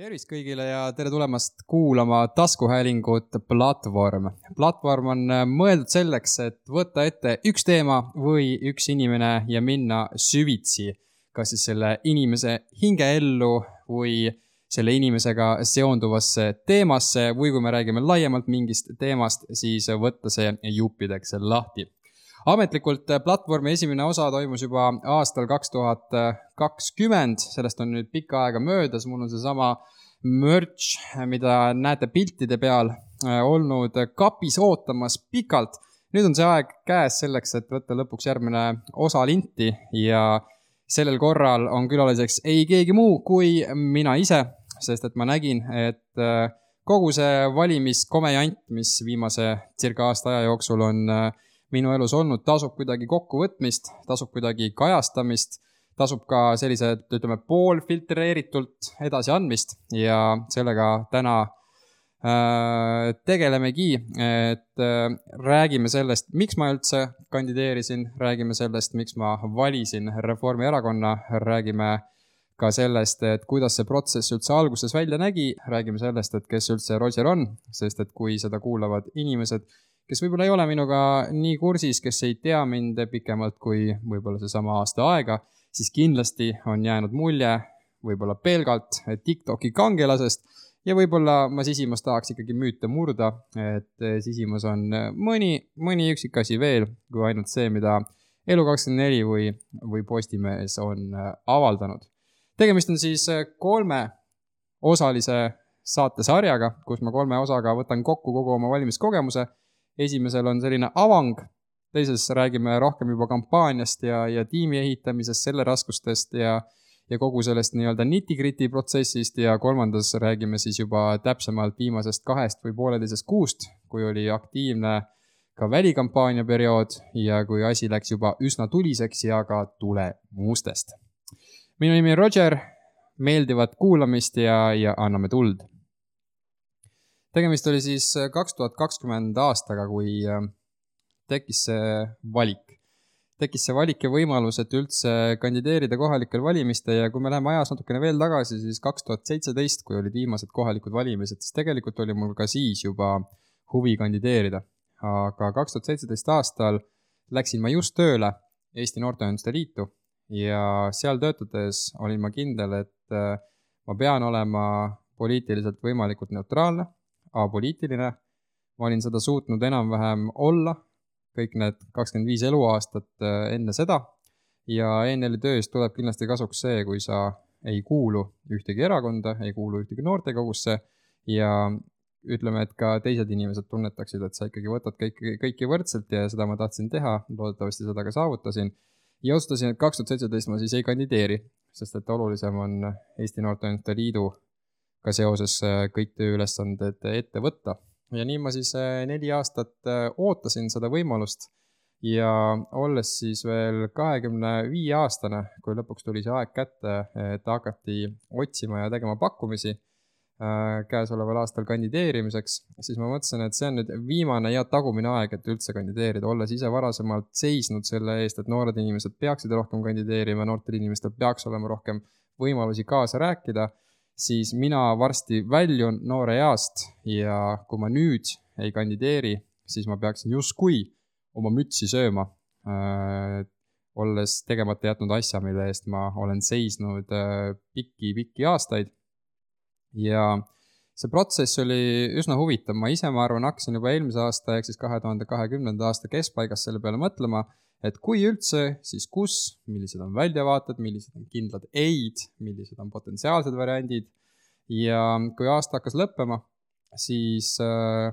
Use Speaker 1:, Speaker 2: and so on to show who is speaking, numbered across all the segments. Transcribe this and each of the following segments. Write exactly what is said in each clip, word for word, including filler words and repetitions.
Speaker 1: Tervist kõigile ja tere tulemast kuulama taskuhäälingut Platvorm. Platvorm on mõeldud selleks, et võtta ette üks teema või üks inimene ja minna süvitsi, kas siis selle inimese hingeellu või selle inimesega seonduvasse teemasse või kui me räägime laiemalt mingist teemast, siis võtta see juppideks lahti. Ametlikult Platvormi esimene osa toimus juba aastal kaks tuhat kakskümmend, sellest on nüüd pikka aega möödas, mul on see sama merch, mida näete piltide peal, olnud kapis ootamas pikalt. Nüüd on see aeg käes selleks, et võtta lõpuks järgmine osa linti ja sellel korral on külaliseks ei keegi muu kui mina ise, sest et ma nägin, et kogu see valimiskomejant, mis viimase circa aasta aja jooksul on minu elus olnud, tasub kuidagi kokkuvõtmist, tasub kuidagi kajastamist, tasub ka sellised, ütleme, poolfiltreeritult edasi andmist ja sellega täna äh, tegelemegi, et äh, räägime sellest, miks ma üldse kandideerisin, räägime sellest, miks ma valisin Reformierakonna, räägime ka sellest, et kuidas see protsess üldse alguses välja nägi, räägime sellest, et kes üldse Roger on, sest et kui seda kuulavad inimesed, kes võib-olla ei ole minuga nii kursis, kes ei tea mind pikemalt kui võib-olla see sama aasta aega, siis kindlasti on jäänud mulje võib-olla pelgalt TikToki kangelasest ja võib-olla ma sisimas tahaks ikkagi müüte murda, et sisimas on mõni, mõni üksikasi veel kui ainult see, mida Elu kakskümmend neli või, või Postimees on avaldanud. Tegemist on siis kolme osalise saatesarjaga, kus ma kolme osaga võtan kokku kogu oma valimiskogemuse. Esimesel on selline avang, teises räägime rohkem juba kampaaniast ja, ja tiimi ehitamisest, selle raskustest ja, ja kogu sellest nii-öelda nitty-gritty protsessist ja kolmandas räägime siis juba täpsemalt viimasest kahest või pooleteisest kuust, kui oli aktiivne ka välikampaania periood ja kui asi läks juba üsna tuliseks ja ka tulemuustest. Minu nimi on Roger, meeldivat kuulamist ja, ja anname tuld. Tegemist oli siis kaks tuhat kakskümmend aastaga, kui tekkis see valik. Tekkis see valik ja võimalus, et üldse kandideerida kohalikel valimiste ja kui me läheme ajas natukene veel tagasi, siis kaks tuhat seitseteist, kui olid viimased kohalikud valimised, siis tegelikult oli mul ka siis juba huvi kandideerida. Aga kaks tuhat seitseteist aastal läksin ma just tööle Eesti Noorteühenduste Liitu ja seal töötades olin ma kindel, et ma pean olema poliitiliselt võimalikult neutraalne, apoliitiline. Ma olin seda suutnud enam-vähem olla kõik need kakskümmend viis eluaastat enne seda ja E N L-i töös tuleb kindlasti kasuks see, kui sa ei kuulu ühtegi erakonda, ei kuulu ühtegi noortekogusse ja ütleme, et ka teised inimesed tunnetaksid, et sa ikkagi võtad kõiki, kõiki võrdselt ja seda ma tahtsin teha, loodetavasti seda ka saavutasin ja otsustasin, et kaks tuhat seitseteist ma siis ei kandideeri, sest et olulisem on Eesti Noorteühenduste Liidu ka seoses kõik tööülesanded ette võtta. Ja nii ma siis neli aastat ootasin seda võimalust ja olles siis veel kahekümne viie aastane, kui lõpuks tuli see aeg kätte, et hakati otsima ja tegema pakkumisi käesoleval aastal kandideerimiseks, siis ma mõtlesin, et see on nüüd viimane ja tagumine aeg, et üldse kandideerida, olles ise varasemalt seisnud selle eest, et noored inimesed peaksid rohkem kandideerima, noortel inimestel peaks olema rohkem võimalusi kaasa rääkida, siis mina varsti väljun noore east ja kui ma nüüd ei kandideeri, siis ma peaksin justkui oma mütsi sööma, äh, olles tegemata jätnud asja, mille eest ma olen seisnud äh, pikki-pikki aastaid. Ja see protsess oli üsna huvitav. Ma ise, ma arvan, hakkasin juba eelmise aasta, ehk siis kahe tuhande kahekümnenda aasta keskpaigas selle peale mõtlema, et kui üldse, siis kus, millised on väljavaated, millised on kindlad eid, millised on potentsiaalsed variandid. Ja kui aasta hakkas lõppema, siis äh,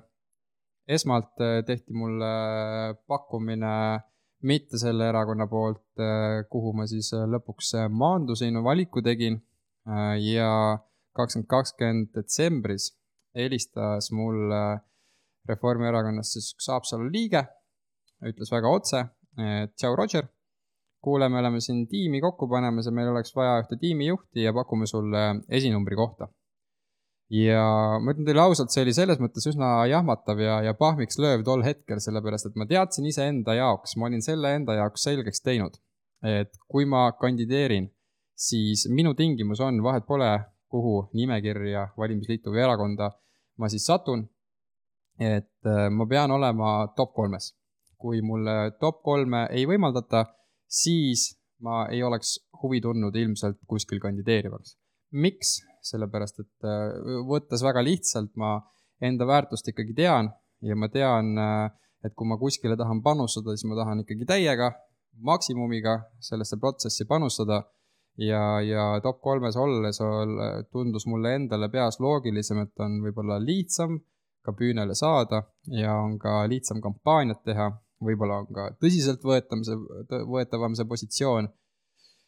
Speaker 1: esmalt tehti mulle pakkumine mitte selle erakonna poolt, äh, kuhu ma siis lõpuks maandusin, valiku tegin äh, ja kakskümmend kakskümmend detsembris helistas mul äh, Reformierakonnast siis üks Haapsalu liige, ütles väga otse, et tšau Roger, kuule, me oleme siin tiimi kokku panemas ja meil oleks vaja ühte tiimijuhti ja pakume sulle esinumbri kohta. Ja ma ütlen teile ausalt, see oli selles mõttes üsna jahmatav ja, ja pahmiks lööv tol hetkel, sellepärast, et ma teadsin ise enda jaoks, ma olin selle enda jaoks selgeks teinud, et kui ma kandideerin, siis minu tingimus on, vahet pole, kuhu nimekirja, valimisliitu või erakonda ma siis satun, et ma pean olema top kolmes. Kui mulle top kolme ei võimaldata, siis ma ei oleks huvi tundnud ilmselt kuskil kandideerivaks. Miks? Sellepärast, et võttes väga lihtsalt ma enda väärtust ikkagi tean ja ma tean, et kui ma kuskile tahan panustada, siis ma tahan ikkagi täiega, maksimumiga sellesse protsessi panustada ja, ja top kolmes olles tundus mulle endale peas loogilisem, et on võib-olla lihtsam ka püünele saada ja on ka lihtsam kampaaniat teha, võib-olla on ka tõsiselt võetavam see, võetavam see positsioon.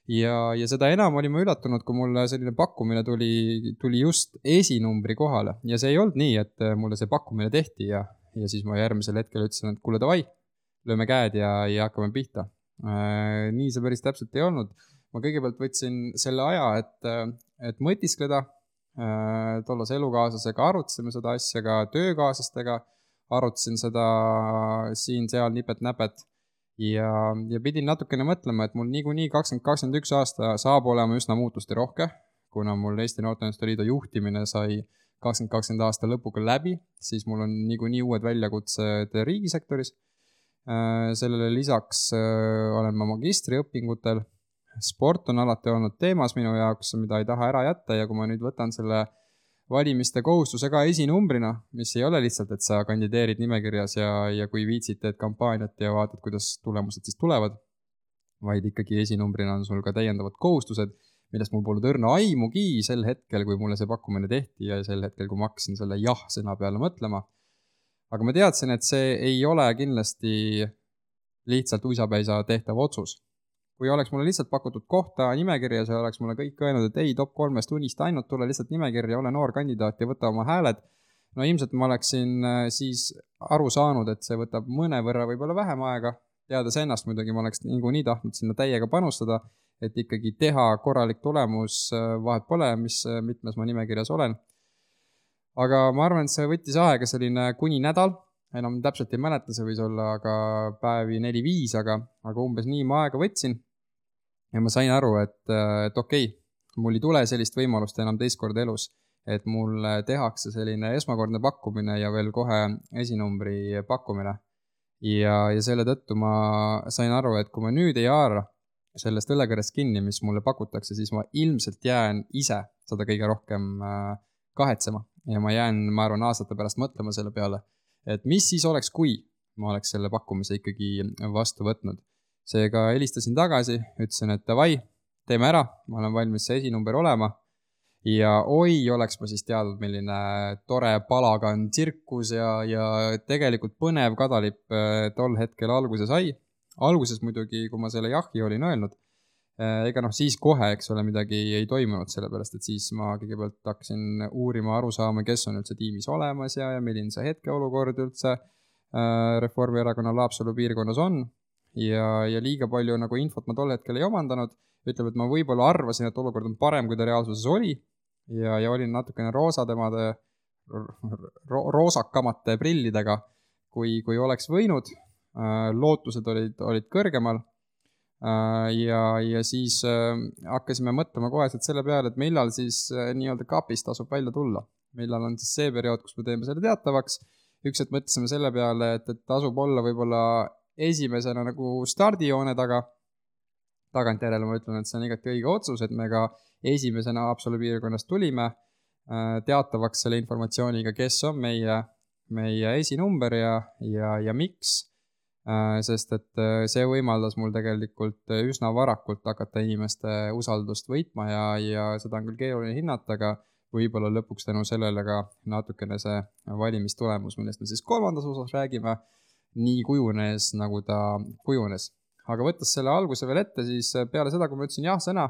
Speaker 1: Ja, ja seda enam olin ma üllatunud, kui mulle selline pakkumine tuli, tuli just esinumbri kohale. Ja see ei olnud nii, et mulle see pakkumine tehti ja, ja siis ma järgmisel hetkel ütlesin, et kuule davai, lööme käed ja, ja hakkame pihta. Äh, nii see päris täpselt ei olnud. Ma kõigepealt võtsin selle aja, et, et mõtiskleda. Äh, tollas elukaaslasega arutasime seda asja ka töökaaslastega. Arutasin seda siin-seal nipet-näpet. Ja, ja pidin natukene mõtlema, et mul niikuinii kakskümmend kakskümmend üks aasta saab olema üsna muutusti rohke, kuna mul Eesti Noorteühenduste Liidu juhtimine sai kakskümmend kakskümmend aasta lõpuga läbi, siis mul on niikuinii uued väljakutsed riigisektoris. Sellele lisaks olen ma magistriõpingutel. Sport on alati olnud teemas minu jaoks, mida ei taha ära jätta ja kui ma nüüd võtan selle valimiste kohustuse ka esinumbrina, mis ei ole lihtsalt, et sa kandideerid nimekirjas ja, ja kui viitsid teed kampaaniat ja vaatad, kuidas tulemused siis tulevad, vaid ikkagi esinumbrina on sul ka täiendavad kohustused, millest mul polnud õrna aimugi sel hetkel, kui mulle see pakkumine tehti ja sel hetkel, kui ma hakkasin selle jah sõna peale mõtlema. Aga ma teadsin, et see ei ole kindlasti lihtsalt uisapäisa tehtav otsus. Kui oleks mulle lihtsalt pakutud kohta nimekirjas ja oleks mulle kõik öelnud, et ei, top kolmest unista ainult, tule lihtsalt nimekirja, ole noor kandidaat ja võta oma hääled. No ilmselt ma oleksin siis aru saanud, et see võtab mõne võrra võib-olla vähem aega. Teades ennast muidugi ma oleks nii, nii tahtnud sinna täiega panustada, et ikkagi teha korralik tulemus, vahet pole, mis mitmes ma nimekirjas olen. Aga ma arvan, et see võttis aega selline kuni nädal. Enam täpselt ei mäleta, see võis olla aga päevi neli viis, aga, aga umbes nii ma aega võtsin. Ja ma sain aru, et, et okei, mul ei tule sellist võimalust enam teist korda elus, et mul tehakse selline esmakordne pakkumine ja veel kohe esinumbri pakkumine. Ja, ja selle tõttu ma sain aru, et kui ma nüüd ei haara sellest õlekõrest kinni, mis mulle pakutakse, siis ma ilmselt jään ise seda kõige rohkem kahetsema. Ja ma jään, ma arvan, aastate pärast mõtlema selle peale, et mis siis oleks, kui ma oleks selle pakkumise ikkagi vastu võtnud. Seega helistasin tagasi, ütlesin, et davai, teeme ära, ma olen valmis see esinumber olema. Ja oi, oleks ma siis teadnud, milline tore palagan tsirkus ja, ja tegelikult põnev kadalipp tol hetkel alguse sai. Alguses muidugi, kui ma selle jahi olin öelnud, ega noh, siis kohe, eks ole, midagi ei toimunud sellepärast, et siis ma kõigepealt hakkasin uurima aru saama, kes on üldse tiimis olemas ja, ja milline see hetkeolukord üldse Reformierakonna Laapsalu piirkonnas on. Ja, ja liiga palju nagu infot ma tol hetkel ei omandanud. Ütleb, et ma võib-olla arvasin, et olukord on parem, kui ta reaalsuses oli. Ja, ja olin natukene roosademade, ro, roosakamate prillidega, kui, kui oleks võinud. Lootused olid, olid kõrgemal. Ja, ja siis hakkasime mõtlema koheselt selle peale, et millal siis nii-öelda kapist tasub välja tulla. Millal on siis see periood, kus me teeme selle teatavaks. Üks, et mõtlesime selle peale, et, et tasub olla võib-olla esimesena nagu stardijoone taga. Tagantjärele ma ütlen, et see on igati õige otsus, et me ka esimesena Haapsalu piirkonnast tulime teatavaks selle informatsiooniga, kes on meie, meie esinumber ja, ja, ja miks. Sest et see võimaldas mul tegelikult üsna varakult hakata inimeste usaldust võitma ja, ja seda on küll keeruline hinnata, aga võib-olla lõpuks tänu sellele ka natukene see valimistulemus, millest me siis kolmandas osas räägime, nii kujunes, nagu ta kujunes. Aga võttes selle alguse veel ette, siis peale seda, kui ma ütlesin jah sõna,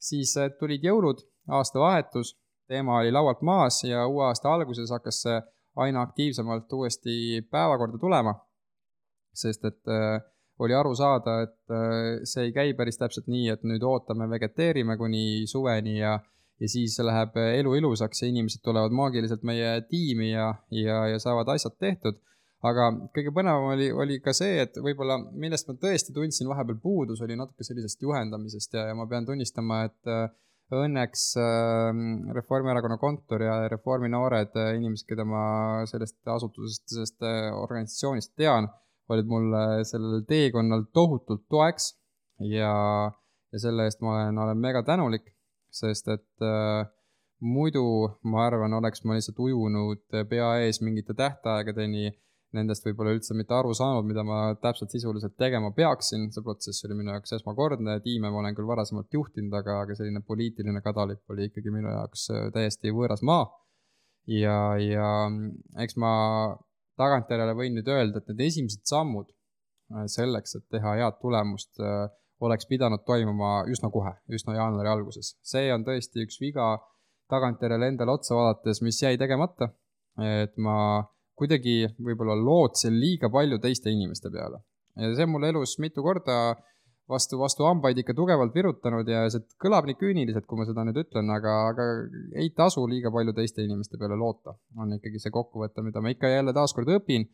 Speaker 1: siis tulid jõulud, aasta vahetus, teema oli laualt maas ja uue aasta alguses hakkas see aina aktiivsemalt uuesti päevakorda tulema, sest et äh, oli aru saada, et äh, see ei käi päris täpselt nii, et nüüd ootame, vegeteerime kuni suveni ja, ja siis läheb elu ilusaks ja inimesed tulevad maagiliselt meie tiimi ja, ja, ja saavad asjad tehtud. Aga kõige põnevam oli, oli ka see, et võib-olla millest ma tõesti tundsin vahepeal puudus, oli natuke sellisest juhendamisest ja, ja ma pean tunnistama, et õnneks äh, Reformierakonna kontor ja Reformi noored äh, inimesed, keda ma sellest asutusest, sellest äh, organisatsioonist tean, olid mulle sellel teekonnal tohutult toeks ja, ja selle eest ma olen, olen mega tänulik, sest et äh, muidu ma arvan, oleks ma lihtsalt ujunud pea ees mingite tähtaegadeni, nendest võib-olla üldse mitte aru saanud, mida ma täpselt sisuliselt tegema peaksin. See protsess oli minu jaoks esmakordne, tiime ma olen küll varasemalt juhtinud, aga, aga selline poliitiline kadalipp oli ikkagi minu jaoks täiesti võõras maa. Ja, ja eks ma tagantjärele võin nüüd öelda, et need esimesed sammud selleks, et teha head tulemust, oleks pidanud toimuma üsna kohe, üsna jaanuari alguses. See on tõesti üks viga tagantjärele endale otsa vaadates, mis jäi tegemata, et ma kuidagi võib-olla lootsin liiga palju teiste inimeste peale. Ja see on mul elus mitu korda vastu, vastu hambaid ikka tugevalt virutanud ja see kõlab nii küüniliselt, kui ma seda nüüd ütlen, aga, aga ei tasu liiga palju teiste inimeste peale loota. On ikkagi see kokkuvõte, mida ma ikka jälle taaskord õpin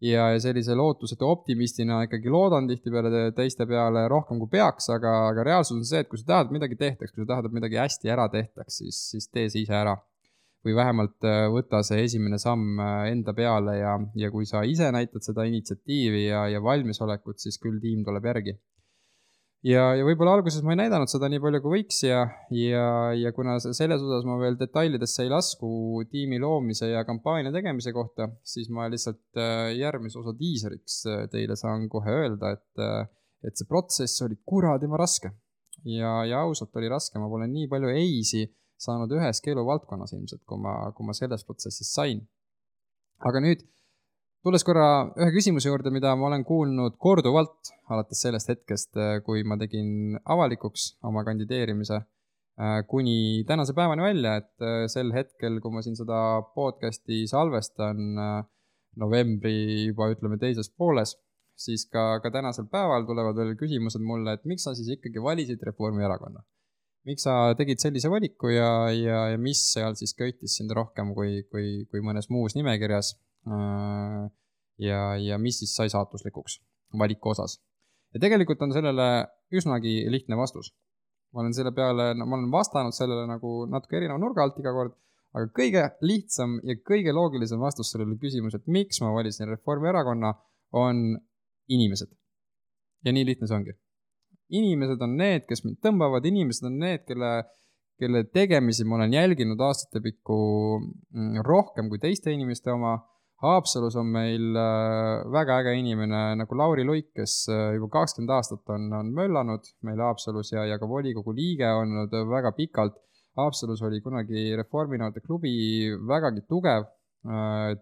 Speaker 1: ja sellise lootusete optimistina ikkagi loodan tihtipeale teiste peale rohkem kui peaks, aga, aga reaalsus on see, et kui sa tahad midagi tehtaks, kui sa tahad, et midagi hästi ära tehtaks, siis, siis tee see ise ära. Või vähemalt võta see esimene samm enda peale ja, ja kui sa ise näitad seda initsiatiivi ja, ja valmisolekut, siis küll tiim tuleb järgi. Ja, ja võib-olla alguses ma ei näidanud seda nii palju kui võiks ja, ja, ja kuna selles osas ma veel detailidesse ei lasku tiimi loomise ja kampaania tegemise kohta, siis ma lihtsalt järgmise osa diiseriks teile saan kohe öelda, et, et see protsess oli kuradima raske. Ja, ja ausalt oli raske, ma pole nii palju eisi saanud üheski eluvaldkonnas ilmselt, kui ma, kui ma selles protsessis sain. Aga nüüd, tulles korra ühe küsimuse juurde, mida ma olen kuulnud korduvalt alates sellest hetkest, kui ma tegin avalikuks oma kandideerimise, kuni tänase päevani välja, et sel hetkel, kui ma siin seda podcasti salvestan novembri juba ütleme teises pooles, siis ka, ka tänasel päeval tulevad veel küsimused mulle, et miks sa siis ikkagi valisid Reformierakonna? Miks sa tegid sellise valiku ja, ja, ja mis seal siis köitis sind rohkem kui, kui, kui mõnes muus nimekirjas ja, ja mis siis sai saatuslikuks valiku osas. Ja tegelikult on sellele üsnagi lihtne vastus. Ma olen selle peale, no, ma olen vastanud sellele nagu natuke erineva nurga alt iga kord, aga kõige lihtsam ja kõige loogilisem vastus sellele küsimus, et miks ma valisin Reformierakonna, on inimesed. Ja nii lihtne see ongi. Inimesed on need, kes mind tõmbavad, inimesed on need, kelle, kelle tegemisi ma olen jälginud aastate pikku rohkem kui teiste inimeste oma. Haapsalus on meil väga äge inimene nagu Lauri Luik, kes juba kakskümmend aastat on, on möllanud meil Haapsalus ja, ja ka volikogu liige olnud väga pikalt. Haapsalus oli kunagi Reforminoorte klubi vägagi tugev,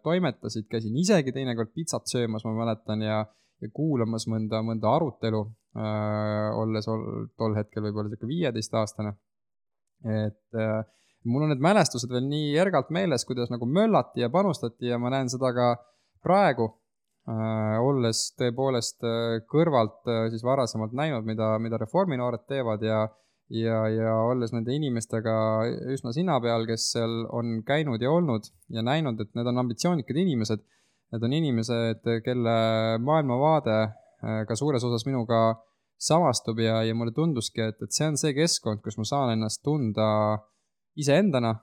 Speaker 1: toimetasid, käisin isegi teinekord pitsat söömas, ma mäletan, ja, ja kuulamas mõnda, mõnda arutelu, äh, olles ol, tol hetkel võib-olla siuke viieteist aastane. Et äh, mul on need mälestused veel nii järgalt meeles, kuidas nagu möllati ja panustati ja ma näen seda ka praegu, äh, olles tõepoolest äh, kõrvalt äh, siis varasemalt näinud, mida, mida Reforminoored teevad ja Ja, ja olles nende inimestega üsna sina peal, kes seal on käinud ja olnud ja näinud, et need on ambitsioonikad inimesed. Need on inimesed, kelle maailmavaade ka suures osas minuga samastub ja, ja mulle tunduski, et, et see on see keskkond, kus ma saan ennast tunda iseendana,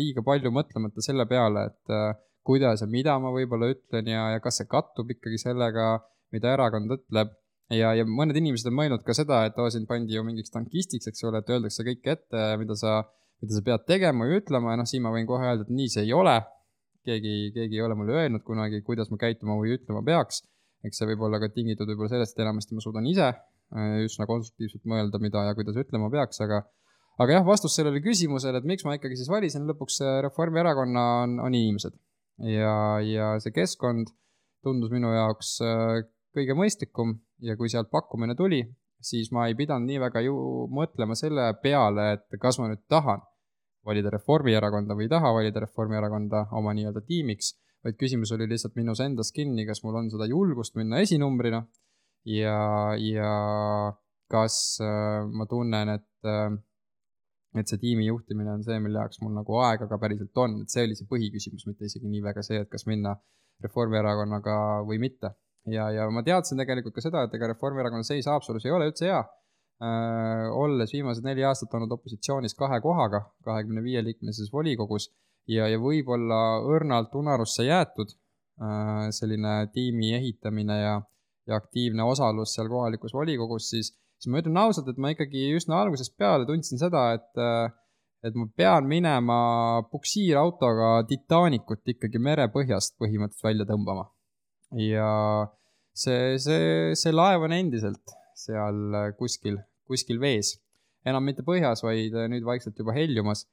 Speaker 1: liiga palju mõtlemata selle peale, et kuidas ja mida ma võib-olla ütlen ja, ja kas see kattub ikkagi sellega, mida erakond ütleb. Ja, ja mõned inimesed on mõelnud ka seda, et oo, siin pandi ju mingiks tankistiks, eks ole, et öeldakse kõik ette, mida sa, mida sa pead tegema ja ütlema, ja noh, siin ma võin kohe öelda, et nii see ei ole. Keegi, keegi ei ole mulle öelnud kunagi, kuidas ma käituma või ütlema peaks. Eks see võib olla ka tingitud võib-olla sellest, et enamasti ma suudan ise üsna konstruktiivselt mõelda, mida ja kuidas ütlema peaks, aga, aga jah, vastus sellele küsimusele, et miks ma ikkagi siis valisin lõpuks Reformierakonna on, on inimesed. Ja, ja see keskkond tundus minu jaoks kõige mõistlikum ja kui sealt pakkumine tuli, siis ma ei pidanud nii väga ju mõtlema selle peale, et kas ma nüüd tahan valida Reformierakonda või ei taha valida Reformierakonda oma nii-öelda tiimiks, vaid küsimus oli lihtsalt minus endas kinni, kas mul on seda julgust minna esinumbrina ja, ja kas ma tunnen, et, et see tiimi juhtimine on see, mille jaoks mul nagu aega ka päriselt on, et see oli see põhiküsimus, mitte isegi nii väga see, et kas minna Reformierakonnaga või mitte. Ja, ja ma teadsin tegelikult ka seda, et ega Reformierakonna seis Haapsalus ei ole üldse hea. olles viimased neli aastat olnud opositsioonis kahe kohaga, kahekümne viie liikmelises volikogus ja, ja võib-olla õrnalt unarusse jäetud selline tiimi ehitamine ja, ja aktiivne osalus seal kohalikus volikogus, siis, siis ma ütlen ausalt, et ma ikkagi üsna algusest peale tundsin seda, et, et ma pean minema puksiirautoga Titanicut ikkagi merepõhjast põhimõtteliselt välja tõmbama. Ja see, see, see laev on endiselt seal kuskil, kuskil vees. Enam mitte põhjas, vaid nüüd vaikselt juba heljumas.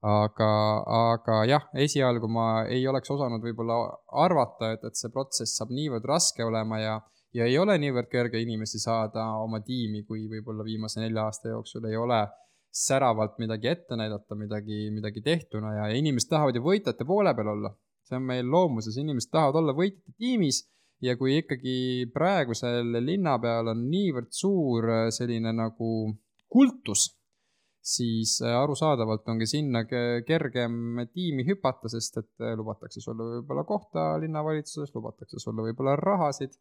Speaker 1: Aga, aga jah, esialgu ma ei oleks osanud võib-olla arvata, et, et see protsess saab niivõrd raske olema ja, ja ei ole niivõrd kerge inimesi saada oma tiimi, kui võib-olla viimase nelja aasta jooksul ei ole säravalt midagi ette näidata, midagi, midagi tehtuna ja inimesed tahavad ju võitjate poole peal olla. See on meil loomuses, inimesed tahavad olla võitjate tiimis. Ja kui ikkagi praegusel linna peal on niivõrd suur selline nagu kultus, siis arusaadavalt ongi sinna kergem tiimi hüpata, sest et lubatakse sulle võib-olla kohta linnavalitsuses, lubatakse sulle võib-olla rahasid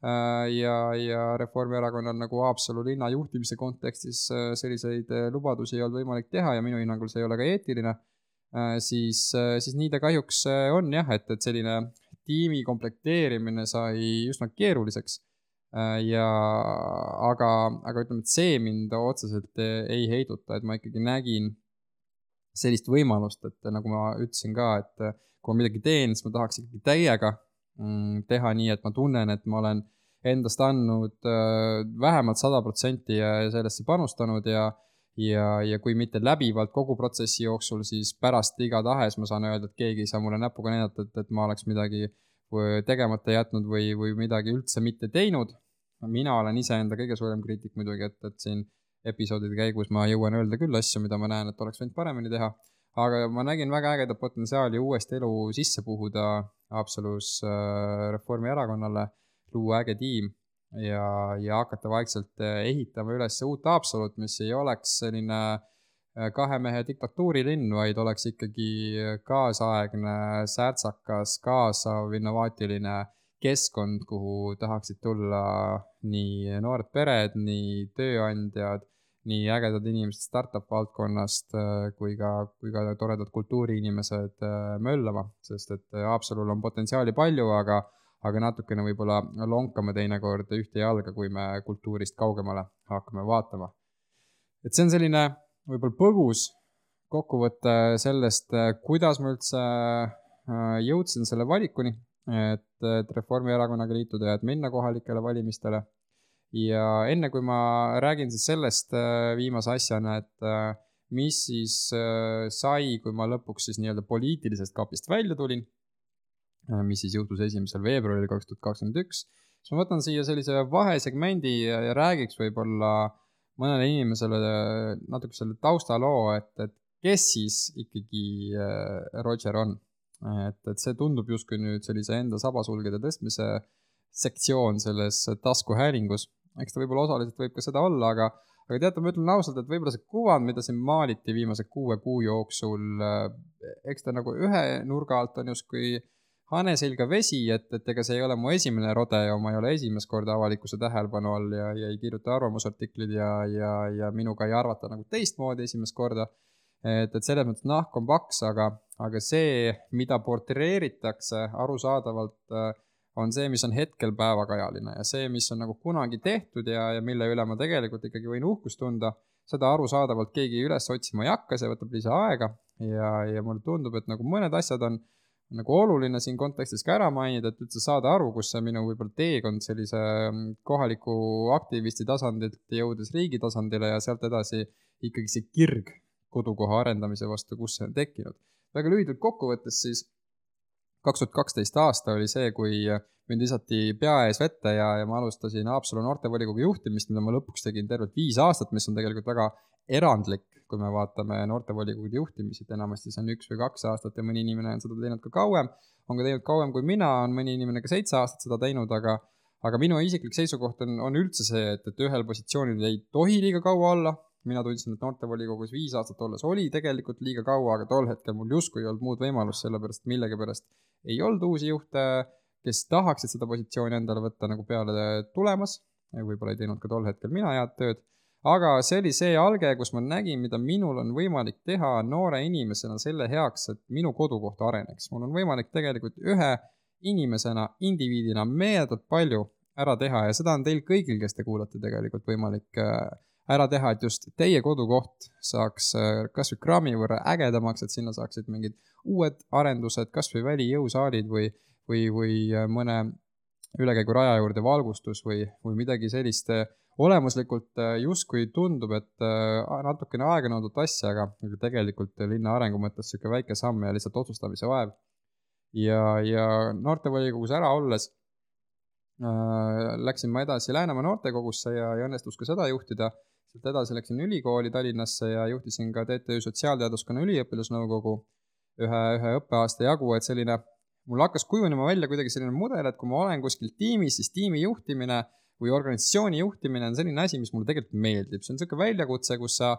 Speaker 1: ja, ja Reformierakonnal nagu Haapsalu linna juhtimise kontekstis selliseid lubadusi ei olnud võimalik teha ja minu hinnangul see ei ole ka eetiline, siis, siis nii ta kahjuks on jah, et, et selline tiimi komplekteerimine sai üsna keeruliseks ja aga, aga ütleme, et see mind otseselt ei heiduta, et ma ikkagi nägin sellist võimalust, et nagu ma ütlesin ka, et kui ma midagi teen, siis ma tahaks ikkagi täiega teha nii, et ma tunnen, et ma olen endast andnud vähemalt sada protsenti ja sellesse panustanud ja Ja, ja kui mitte läbivalt kogu protsessi jooksul, siis pärast iga tahes ma saan öelda, et keegi ei saa mulle näpuga näidata, et, et ma oleks midagi tegemata jätnud või, või midagi üldse mitte teinud. Mina olen ise enda kõige suurem kriitik muidugi, et, et siin episoodide käigus ma jõuan öelda küll asju, mida ma näen, et oleks võinud paremini teha. Aga ma nägin väga ägeda potentsiaali uuesti elu sisse puhuda Haapsalus Reformierakonnale, luua äge tiim. Ja, ja hakata vaikselt ehitama üles uut Haapsalut, mis ei oleks selline kahe mehe diktatuurilinn, vaid oleks ikkagi kaasaegne, särtsakas, kaasav, innovaatiline keskkond, kuhu tahaksid tulla nii noored pered, nii tööandjad, nii ägedad inimesed startup valdkonnast kui ka, kui ka toredad kultuuriinimesed möllama, sest et Haapsalul on potentsiaali palju, aga aga natukene võib-olla lonkame teinekord ühte jalga, kui me kultuurist kaugemale hakkame vaatama. Et see on selline võib-olla põgus kokkuvõte sellest, kuidas ma üldse jõudsin selle valikuni, et, et Reformierakonnaga liituda ja et minna kohalikele valimistele. Ja enne kui ma räägin siis sellest viimase asjana, et mis siis sai, kui ma lõpuks siis nii-öelda poliitilisest kapist välja tulin, mis siis juhtus esimesel veebruaril kaks tuhat kakskümmend üks, siis ma võtan siia sellise vahesegmendi ja, ja räägiks võib-olla mõnele inimesele natuke selle taustaloo, et, et kes siis ikkagi Roger on. Et, et see tundub justkui nüüd sellise enda sabasulgede tõstmise sektsioon selles taskuhäälingus. Eks ta võib-olla osaliselt võib ka seda olla, aga, aga teate, ma ütlen ausalt, et võib-olla see kuvand, mida siin maaliti viimase kuue kuu jooksul, eks ta nagu ühe nurga alt on justkui haneselga vesi, et, et ega see ei ole mu esimene rodeo, ma ei ole esimest korda avalikkuse tähelepanu all ja, ja ei kirjuta arvamusartiklid ja, ja, ja minuga ei arvata nagu teistmoodi esimest korda. Et, et selles mõttes nahk on paks, aga, aga see, mida portreeritakse arusaadavalt, on see, mis on hetkel päevakajaline ja see, mis on nagu kunagi tehtud ja, ja mille üle ma tegelikult ikkagi võin uhkust tunda, seda arusaadavalt keegi üles otsima ei hakka, see võtab lisa aega ja, ja mulle tundub, et nagu mõned asjad on nagu oluline siin kontekstis ka ära mainida, et üldse saada aru, kus see minu võib-olla teekond sellise kohaliku aktivisti tasandilt jõudes riigi tasandile ja sealt edasi ikkagi see kirg kodukoha arendamise vastu, kus see on tekkinud. Väga lühidalt kokkuvõttes siis kaks tuhat kaksteist aasta oli see, kui mind visati pea ees vette ja, ja ma alustasin Haapsalu noortevolikogu juhtimist, mida ma lõpuks tegin tervelt viis aastat, mis on tegelikult väga erandlik, kui me vaatame noortevolikogude juhtimisid, enamasti see on üks või kaks aastat ja mõni inimene on seda teinud ka kauem, on ka teinud kauem kui mina, on mõni inimene ka seitse aastat seda teinud, aga, aga minu isiklik seisukoht on, on üldse see, et, et ühel positsioonil ei tohi liiga kaua olla. Mina tundsin, et noortevolikogus viis aastat olles oli tegelikult liiga kaua, aga tol hetkel mul justkui ei olnud muud võimalust, sellepärast millegipärast ei olnud uusi juhte, kes tahaksid seda positsiooni endale võtta nagu peale tulemas, ja võib-olla ei teinud ka tol hetkel mina head tööd, aga see oli see alge, kus ma nägin, mida minul on võimalik teha noore inimesena selle heaks, et minu kodukoht areneks. Mul on võimalik tegelikult ühe inimesena, indiviidina meeletult palju ära teha ja seda on teil kõigil, kes te kuulate tegelikult võimalik ära teha, et just teie kodukoht saaks kas või kraami võrra ägedamaks, et sinna saaksid mingid uued arendused, kas või välijõusaalid või, või, või mõne ülekäigu raja juurde valgustus või, või midagi sellist olemuslikult justkui tundub, et natukene aega nõudvat asja, aga tegelikult linna arengu mõttes siuke väike samm ja lihtsalt otsustamise vaev. Ja, ja noortevolikogus ära olles äh, läksin ma edasi Läänemaa noortekogusse ja, ja õnnestus ka seda juhtida. Sealt edasi läksin ülikooli Tallinnasse ja juhtisin ka T T Ü sotsiaalteaduskonna üliõpilasnõukogu ühe, ühe õppeaasta jagu, et selline, mul hakkas kujunema välja kuidagi selline mudel, et kui ma olen kuskil tiimis, siis tiimi juhtimine või organisatsiooni juhtimine on selline asi, mis mulle tegelikult meeldib. See on selline väljakutse, kus sa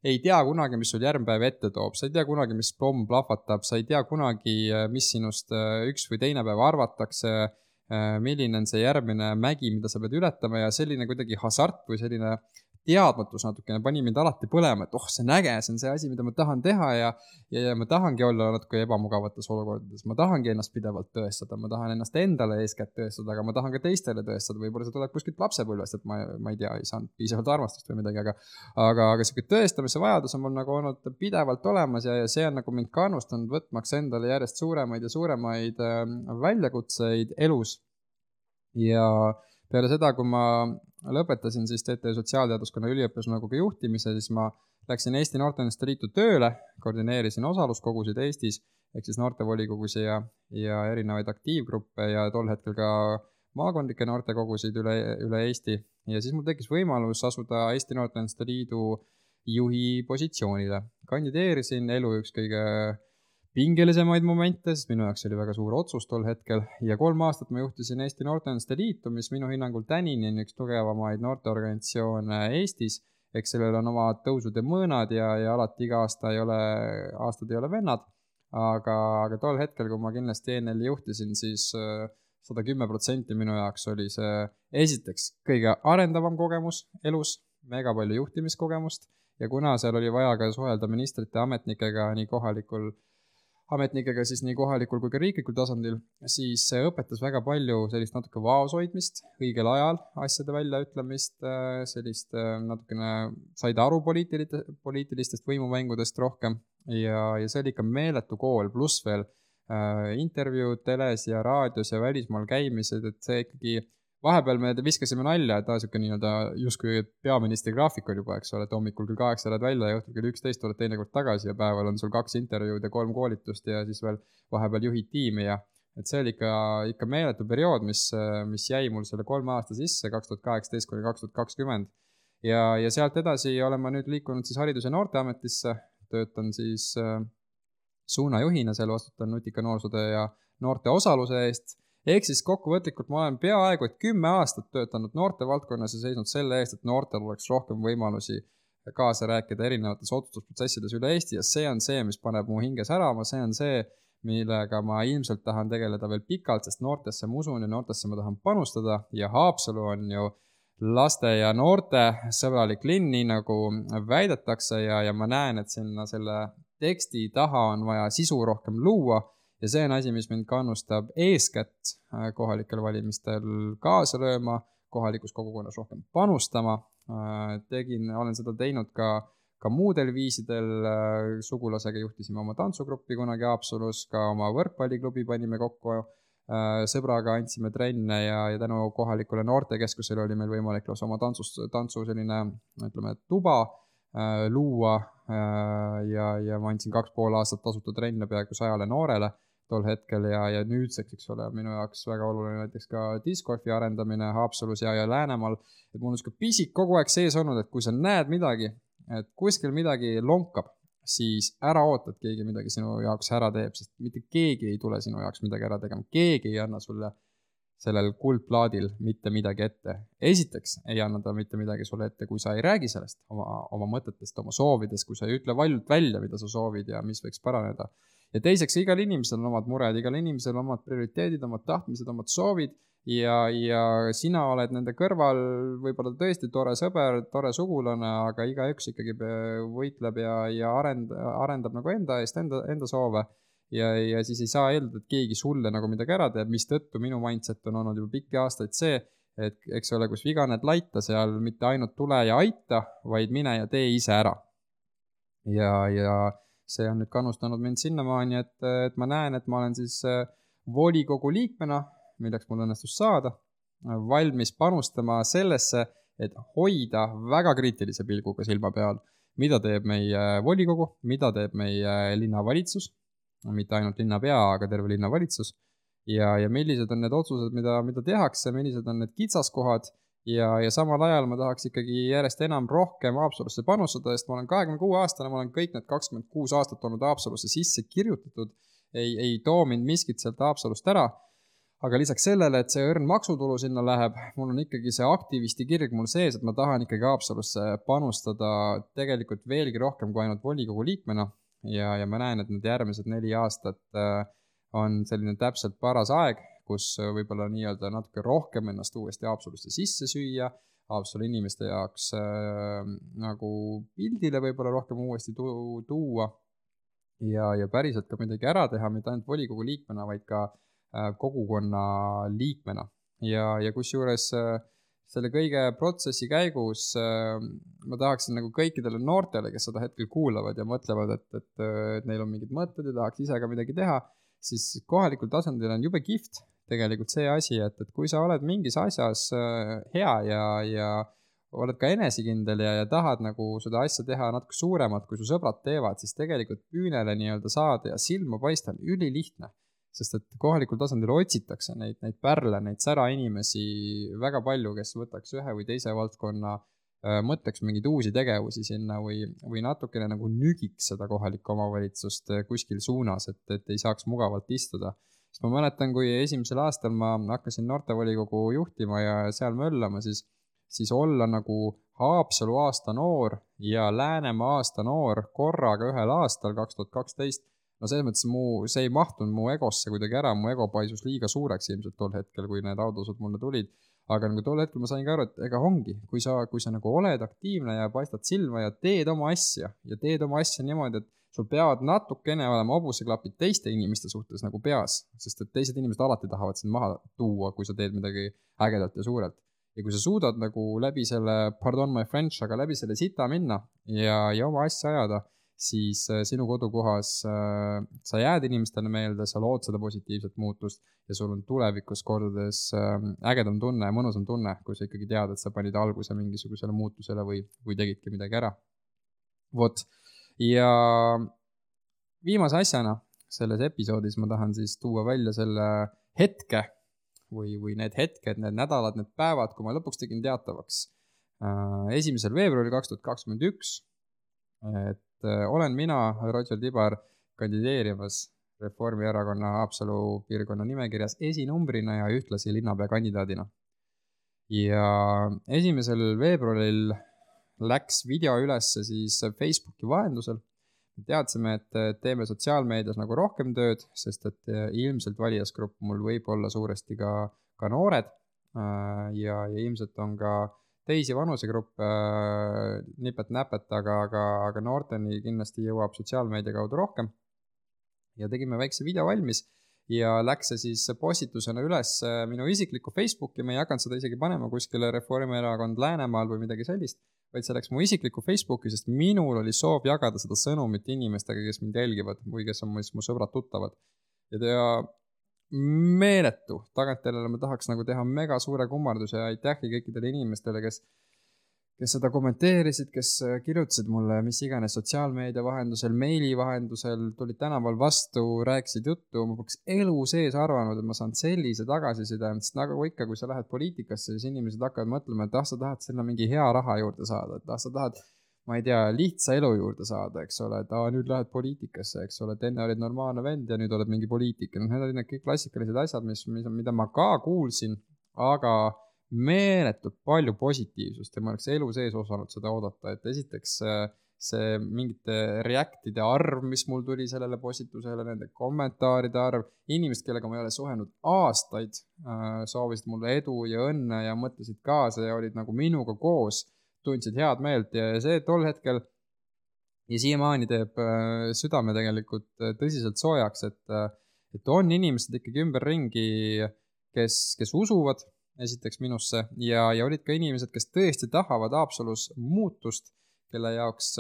Speaker 1: ei tea kunagi, mis sul järgmine ette toob. Sa ei tea kunagi, mis pomm plahvatab. Sa ei tea kunagi, mis sinust üks või teine päev arvatakse, milline on see järgmine mägi, mida sa pead ületama ja selline kuidagi hasart või selline teadmatus natukene pani mind alati põlema, et oh, see on äge, see on see asi, mida ma tahan teha ja, ja, ja ma tahangi olla natuke ebamugavates olukordades. Ma tahangi ennast pidevalt tõestada, ma tahan ennast endale eeskätt tõestada, aga ma tahan ka teistele tõestada. Võib-olla see tuleb kuskilt lapsepõlvest, et ma, ma ei tea, ei saanud piisavalt armastust või midagi, aga, aga, aga selline tõestamise vajadus on mul nagu olnud pidevalt olemas ja, ja see on nagu mind kannustanud võtmaks endale järjest suuremaid ja suuremaid äh, väljakutseid elus. Ja peale seda, kui ma lõpetasin siis T T Ü sotsiaalteaduskonna üliõpilasnõukogu juhtimise, siis ma läksin Eesti Noorteühenduste Liitu tööle, koordineerisin osaluskogusid Eestis, ehk siis noortevolikogus ja, ja erinevaid aktiivgruppe ja tol hetkel ka maakondlikke noortekogusid üle, üle Eesti. Ja siis mul tekkis võimalus asuda Eesti Noorteühenduste Liidu juhi positsioonile. Kandideerisin elu üks kõige pingelisemaid momente, sest minu jaoks oli väga suur otsus tol hetkel ja kolm aastat ma juhtisin Eesti Noorteühenduste Liitu, mis minu hinnangul tänini on üks tugevamaid noorteorganisatsioone Eestis, eks sellel on oma tõusud ja mõõnad ja, ja alati iga aasta ei ole, aastad ei ole vennad, aga, aga tol hetkel, kui ma kindlasti E N L-i juhtisin, siis sada kümme protsenti minu jaoks oli see esiteks kõige arendavam kogemus elus, mega palju juhtimiskogemust ja kuna seal oli vaja ka suhelda ministrite ametnikega nii kohalikul ametnikega siis nii kohalikul kui ka riiklikul tasandil, siis see õpetas väga palju sellist natuke vaoshoidmist, õigel ajal asjade väljaütlemist, sellist natukene said aru poliitilistest võimumängudest rohkem ja, ja see oli ikka meeletu kool, pluss veel äh, intervjuud teles ja raadios ja välismaal käimised, et see ikkagi vahepeal me viskasime nalja, et ta siuke nii-öelda justkui peaministri graafik on juba, eks ole, et hommikul küll kaheksa lähed välja ja õhtul küll üksteist oled teinekord tagasi ja päeval on sul kaks intervjuud ja kolm koolitust ja siis veel vahepeal juhid tiimi ja et see oli ikka, ikka meeletu periood, mis, mis jäi mul selle kolme aasta sisse, kaks tuhat kaheksateist kuni kaks tuhat kakskümmend. Ja, ja sealt edasi olen ma nüüd liikunud siis Haridus- ja Noorteametisse, töötan siis äh, suunajuhina, seal vastutan nutika noorsootöö ja noorte osaluse eest. Ehk siis kokkuvõtlikult ma olen peaaegu et kümme aastat töötanud noorte valdkonnas ja seisnud selle eest, et noortel oleks rohkem võimalusi kaasa rääkida erinevates otsustusprotsessides üle Eesti ja see on see, mis paneb mu hinge särama, see on see, millega ma ilmselt tahan tegeleda veel pikalt, sest noortesse ma usun ja noortesse ma tahan panustada ja Haapsalu on ju laste ja noorte sõbralik linn, nii nagu väidetakse ja, ja ma näen, et sinna selle teksti taha on vaja sisu rohkem luua. Ja see on asi, mis mind kannustab eeskätt kohalikel valimistel kaasa lööma, kohalikus kogukonnas rohkem panustama. Tegin, olen seda teinud ka, ka muudel viisidel. Sugulasega juhtisime oma tantsugruppi kunagi Haapsalus, ka oma võrkpalliklubi panime kokku. Sõbraga andsime trenne ja, ja tänu kohalikule noortekeskusele oli meil võimalik oma tantsus, tantsu selline, ütleme, tuba luua ja, ja ma andsin kaks pool aastat tasuta trenne peaaegu sajale noorele tol hetkel ja, ja nüüdseks, eks ole, minu jaoks väga oluline näiteks ka discgolfi arendamine Haapsalus ja, ja Läänemaal, et mul on siuke pisik kogu aeg sees olnud, et kui sa näed midagi, et kuskil midagi lonkab, siis ära oota, et keegi midagi sinu jaoks ära teeb, sest mitte keegi ei tule sinu jaoks midagi ära tegema, keegi ei anna sulle sellel kuldplaadil mitte midagi ette. Esiteks ei anna ta mitte midagi sulle ette, kui sa ei räägi sellest oma, oma mõtetest, oma soovidest, kui sa ei ütle valjult välja, mida sa soovid ja mis võiks paraneda. Ja teiseks, igal inimesel on omad mured, igal inimesel on omad prioriteedid, omad tahtmised, omad soovid ja, ja sina oled nende kõrval võib-olla tõesti tore sõber, tore sugulane, aga igaüks ikkagi võitleb ja, ja arend, arendab nagu enda eest, enda, enda soove. Ja, ja siis ei saa eeldada, et keegi sulle nagu midagi ära teeb, mis tõttu minu mindset on olnud juba pikki aastaid see, et eks ole, kus viga need laita seal, mitte ainult tule ja aita, vaid mine ja tee ise ära. Ja, ja see on nüüd kannustanud mind sinnamaani, et, et ma näen, et ma olen siis volikogu liikmena, milleks mul õnnestus saada, valmis panustama sellesse, et hoida väga kriitilise pilguga silma peal, mida teeb meie volikogu, mida teeb meie linnavalitsus, mitte ainult linnapea, aga terve linnavalitsus, ja, ja millised on need otsused, mida, mida tehakse, millised on need kitsaskohad, ja, ja samal ajal ma tahaks ikkagi järjest enam rohkem Haapsalusse panustada, sest ma olen kahekümne kuue aastane, ma olen kõik need kakskümmend kuus aastat olnud Haapsalusse sisse kirjutatud, ei, ei too mind miskit sealt Haapsalust ära, aga lisaks sellele, et see õrn maksutulu sinna läheb, mul on ikkagi see aktivisti kirg mul sees, et ma tahan ikkagi Haapsalusse panustada tegelikult veelgi rohkem kui ainult volikogu liikmena, ja, ja ma näen, et need järgmised neli aastat on selline täpselt paras aeg, kus võib-olla nii-öelda natuke rohkem ennast uuesti Haapsalusse sisse süüa, Haapsalu inimeste jaoks äh, nagu pildile võib-olla rohkem uuesti tu- tuua ja, ja päriselt ka midagi ära teha, mitte ainult volikogu liikmena, vaid ka äh, kogukonna liikmena. Ja, ja kus juures äh, selle kõige protsessi käigus äh, ma tahaksin nagu kõikidele noortele, kes seda hetkel kuulavad ja mõtlevad, et, et, et neil on mingid mõtted ja tahaks ise ka midagi teha, siis kohalikul tasandil on jube kihvt tegelikult see asi, et, et kui sa oled mingis asjas hea ja, ja oled ka enesekindel ja, ja tahad nagu seda asja teha natuke suuremat, kui su sõbrad teevad, siis tegelikult püünele nii-öelda saada ja silma paista on ülilihtne, sest et kohalikul tasandil otsitakse neid, neid pärle, neid sära inimesi väga palju, kes võtaks ühe või teise valdkonna, mõtleks mingeid uusi tegevusi sinna või, või natukene nagu nügiks seda kohalikku omavalitsust kuskil suunas, et, et ei saaks mugavalt istuda. Sest ma mäletan, kui esimesel aastal ma hakkasin noortevolikogu juhtima ja seal möllama, siis, siis olla nagu Haapsalu aasta noor ja Läänemaa aasta noor korraga ühel aastal kaks tuhat kaksteist, no selles mõttes mu, see ei mahtunud mu egosse kuidagi ära, mu ego paisus liiga suureks ilmselt tol hetkel, kui need autosud mulle tulid. Aga nagu tol hetkel ma sain ka aru, et ega ongi, kui sa, kui sa nagu oled aktiivne ja paistad silma ja teed oma asja ja teed oma asja niimoodi, et sul peavad natukene olema hobuseklapid teiste inimeste suhtes nagu peas, sest et teised inimesed alati tahavad sind maha tuua, kui sa teed midagi ägedalt ja suurelt. Ja kui sa suudad nagu läbi selle, pardon my French, aga läbi selle sita minna ja, ja oma asja ajada, siis sinu kodukohas äh, sa jääd inimestele meelde, sa lood seda positiivset muutust ja sul on tulevikus kordades äh, ägedam tunne ja mõnusam tunne, kui sa ikkagi tead, et sa panid alguse mingisugusele muutusele või, või tegidki midagi ära. Vot, ja viimase asjana selles episoodis ma tahan siis tuua välja selle hetke või, või need hetked, need nädalad, need päevad, kui ma lõpuks tegin teatavaks äh, esimesel veebruaril kaks tuhat kakskümmend üks, et olen mina, Roger Tibar, kandideerimas Reformierakonna Haapsalu piirkonna nimekirjas esinumbrina ja ühtlasi linnapea kandidaadina. Ja esimesel veebruaril läks video ülesse siis Facebooki vahendusel. Teadsime, et teeme sotsiaalmeedias nagu rohkem tööd, sest et ilmselt valijasgrupp mul võib olla suuresti ka, ka noored ja, ja ilmselt on ka teisi vanusegruppe äh, nipet-näpet, aga, aga, aga noorteni kindlasti jõuab sotsiaalmeedia kaudu rohkem. Ja tegime väikse video valmis ja läks see siis postitusena üles minu isiklikku Facebooki, ma ei hakanud seda isegi panema kuskile Reformierakond Läänemaal või midagi sellist, vaid see läks mu isiklikku Facebooki, sest minul oli soov jagada seda sõnumit inimestega, kes mind jälgivad või kes on mu, mu sõbrad tuttavad. Ja tea, meeletu, tagantjärele ma tahaks nagu teha mega suure kummarduse ja aitähi kõikidele inimestele, kes, kes seda kommenteerisid, kes kirjutasid mulle mis iganes sotsiaalmeedia vahendusel, meili vahendusel, tulid tänaval vastu, rääkisid juttu, ma poleks elu sees arvanud, et ma saan sellise tagasiside, sest nagu ikka, kui sa lähed poliitikasse, siis inimesed hakkavad mõtlema, et ah, sa tahad sinna mingi hea raha juurde saada, et ah, sa tahad ma ei tea, lihtsa elu juurde saada, eks ole, et aa, nüüd lähed poliitikasse, eks ole, et enne olid normaalne vend ja nüüd oled mingi poliitik. Need olid need kõik klassikalised asjad, mis, mida ma ka kuulsin, aga meeletult palju positiivsust ja ma oleks elu sees osanud seda oodata, et esiteks see mingite reactide arv, mis mul tuli sellele postitusele, nende kommentaaride arv, inimesed, kellega ma ei ole suhenud aastaid, soovisid mulle edu ja õnne ja mõtlesid kaasa ja olid nagu minuga koos, tundsid head meelt ja see tol hetkel ja siiamaani teeb südame tegelikult tõsiselt soojaks, et, et on inimesed ikkagi ümberringi, kes, kes usuvad esiteks minusse ja, ja olid ka inimesed, kes tõesti tahavad Haapsalus muutust, kelle jaoks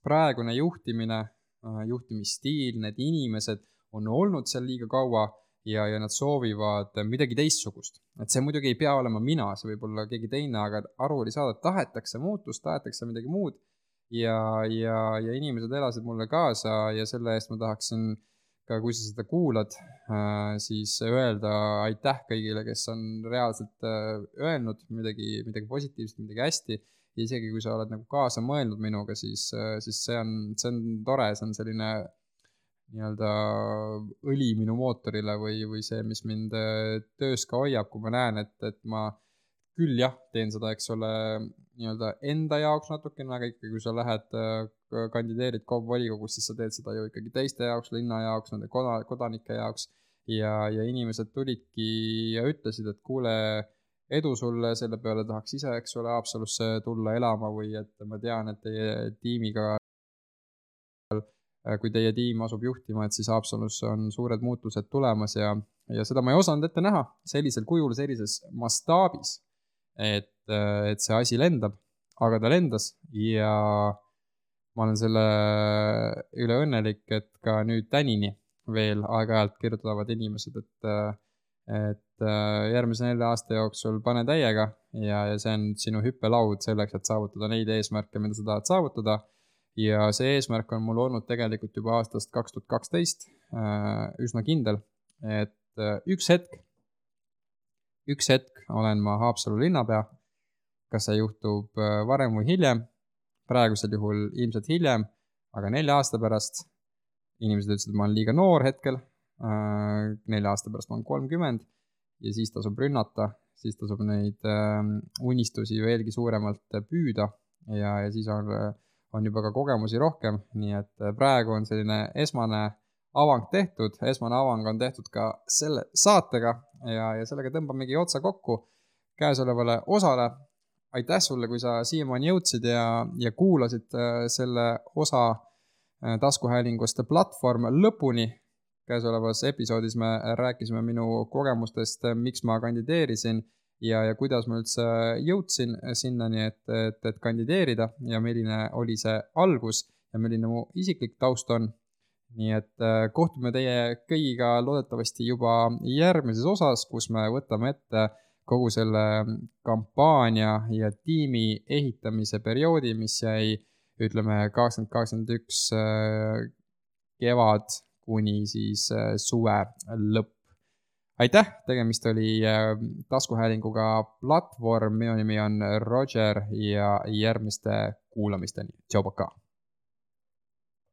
Speaker 1: praegune juhtimine, juhtimisstiil, need inimesed on olnud seal liiga kaua ja, ja nad soovivad midagi teistsugust. Et see muidugi ei pea olema mina, see võib olla keegi teine, aga aru oli saada, et tahetakse muutust, tahetakse midagi muud ja, ja, ja inimesed elasid mulle kaasa ja selle eest ma tahaksin ka, kui sa seda kuulad, siis öelda aitäh kõigile, kes on reaalselt öelnud midagi, midagi positiivset, midagi hästi. Ja isegi kui sa oled nagu kaasa mõelnud minuga, siis, siis see, on, see on tore, see on selline nii-öelda õli minu mootorile või, või see, mis mind töös ka hoiab, kui ma näen, et, et ma küll jah, teen seda, eks ole, nii-öelda enda jaoks natukene, aga ikkagi kui sa lähed, kandideerid K O V volikogus, siis sa teed seda ju ikkagi teiste jaoks, linna jaoks, nende kodanike jaoks ja, ja inimesed tulidki ja ütlesid, et kuule, edu sulle, selle peale tahaks ise, eks ole, Haapsalusse tulla elama või et ma tean, et teie tiimiga, kui teie tiim asub juhtima, et siis Haapsalus on suured muutused tulemas ja, ja seda ma ei osanud ette näha sellisel kujul, sellises mastaabis, et, et see asi lendab, aga ta lendas ja ma olen selle üle õnnelik, et ka nüüd tänini veel aeg-ajalt kirjutavad inimesed, et et järgmise nelja aasta jooksul pane täiega ja, ja see on sinu hüppelaud selleks, et saavutada neid eesmärke, mida sa tahad saavutada ja see eesmärk on mul olnud tegelikult juba aastast kaks tuhat kaksteist üsna kindel, et üks hetk, üks hetk olen ma Haapsalu linnapea, kas see juhtub varem või hiljem, praegusel juhul ilmselt hiljem, aga nelja aasta pärast inimesed ütlesid, et ma olen liiga noor hetkel, nelja aasta pärast ma olen kolmkümmend ja siis tasub rünnata, siis tasub neid unistusi veelgi suuremalt püüda ja, ja siis on, on juba ka kogemusi rohkem, nii et praegu on selline esmane avang tehtud, esmane avang on tehtud ka selle saatega ja, ja sellega tõmbamegi otsa kokku käesolevale osale. Aitäh sulle, kui sa siiamaani jõudsid ja, ja kuulasid selle osa taskuhäälingust platvorm lõpuni. Käesolevas episoodis me rääkisime minu kogemustest, miks ma kandideerisin ja, ja kuidas ma üldse jõudsin sinnani, et, et, et kandideerida ja milline oli see algus ja milline mu isiklik taust on. Nii et kohtume teie kõigiga loodetavasti juba järgmises osas, kus me võtame ette kogu selle kampaania ja tiimi ehitamise perioodi, mis jäi, ütleme, kakskümmend kakskümmend üks kevad kuni siis suve lõpp. Aitäh, tegemist oli taskuhäälinguga platvorm, minu nimi on Roger ja järgmiste kuulamisteni. Tšau, paka!